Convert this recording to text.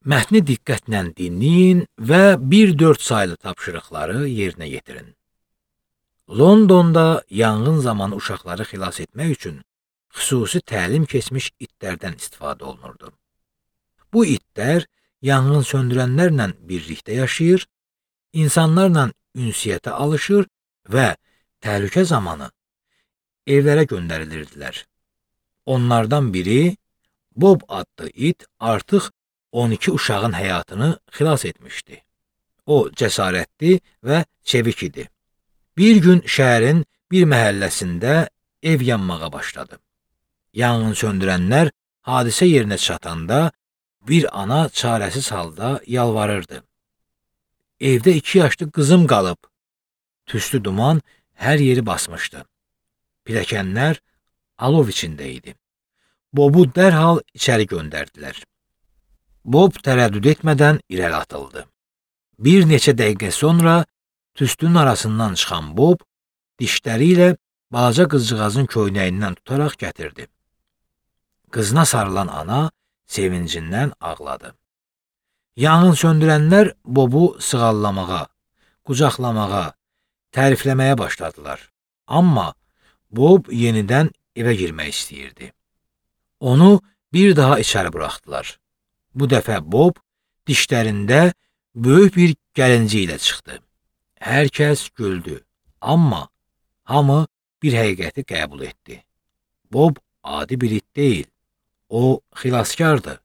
Mətni diqqətlə dinləyin və 1-4 saylı tapşırıqları yerinə yetirin. Londonda yanğın zamanı uşaqları xilas etmək üçün xüsusi təlim keçmiş itlərdən istifadə olunurdu. Bu itlər yanğın söndürənlərlə birlikdə yaşayır, insanlarla ünsiyyətə alışır və təhlükə zamanı evlərə göndərilirdilər. Onlardan biri, Bob adlı it artıq 12 uşağın həyatını xilas etmişdi. O cəsarətli və çevik idi. Bir gün şəhərin bir məhəlləsində ev yanmağa başladı. Yanğın söndürənlər hadisə yerinə çatanda bir ana çarəsiz halda yalvarırdı. Evdə 2 yaşlı qızım qalıb. Tüstü duman hər yeri basmışdı. Pilləkənlər alov içində idi. Bobu dərhal içəri göndərdilər. Bob tərəddüd etmədən irəli atıldı. Bir neçə dəqiqə sonra tüstünün arasından çıxan Bob dişləri ilə balaca qızcığazın köynəyindən tutaraq gətirdi. Qızına sarılan ana sevincindən ağladı. Yanğın söndürənlər Bobu sığallamağa, qucaqlamağa, tərifləməyə başladılar. Amma Bob yenidən evə girmək istəyirdi. Onu bir daha içəri buraxdılar. Bu dəfə Bob dişlərində böyük bir gəlinci ilə çıxdı. Hər kəs güldü, amma hamı bir həqiqəti qəbul etdi. Bob adi bir it deyil, o xilaskardı.